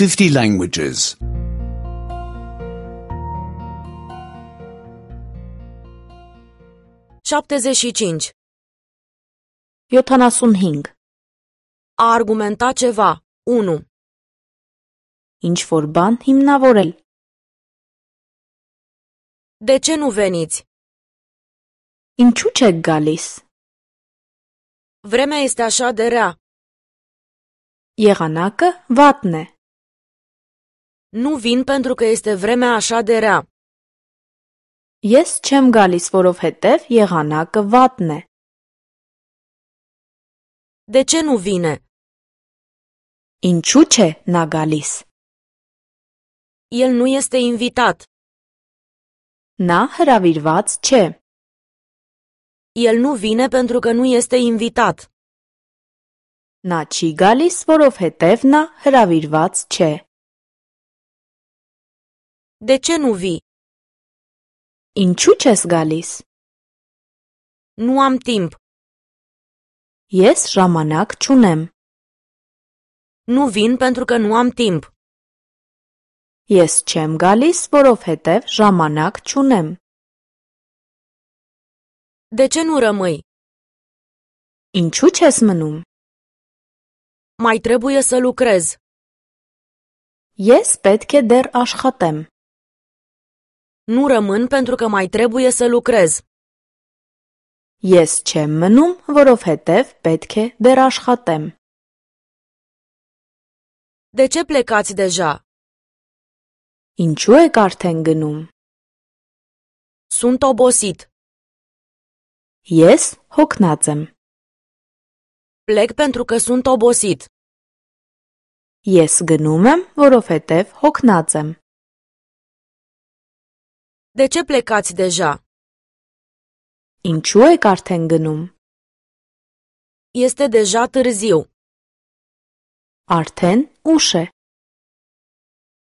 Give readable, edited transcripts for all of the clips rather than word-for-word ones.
50 languages. 75. 75. A argumenta ceva. 1. Ինչ-որ բան հիմնավորել. De ce nu veniți? Ինչու չեք գալիս? Vremea este așa de rea. Եղանակը վատն է. Nu vin pentru că este vremea așa de rea. Ես չեմ գալիս, որովհետև եղանակը վատն է. De ce nu vine? Ինչու չէ նա գալիս? El nu este invitat. Նա հրավիրված չէ. El nu vine pentru că nu este invitat. Նա չի գալիս, որովհետև նա հրավիրված չէ. De ce nu vii? Ինչու չես գալիս? Nu am timp. Ես ժամանակ չունեմ. Nu vin pentru că nu am timp. Ես չեմ գալիս, որովհետև ժամանակ չունեմ. De ce nu rămâi? Ինչու չես մնում? Mai trebuie să lucrez. Ես պետք է դեռ աշխատեմ. Nu rămân pentru că mai trebuie să lucrez. Ես չեմ մնում, որովհետև պետք է դեռ աշխատեմ. De ce plecați deja? Ինչու եք արդեն գնում? Sunt obosit. Ես հոգնած եմ. Plec pentru că sunt obosit. Ես գնում եմ, որովհետև հոգնած եմ. De ce plecați deja? Ինչու եք արդեն գնում? Este deja târziu. Արդեն ուշ է.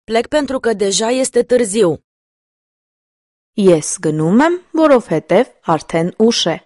Plec pentru că deja este târziu. Ես գնում եմ, որովհետև արդեն ուշ է.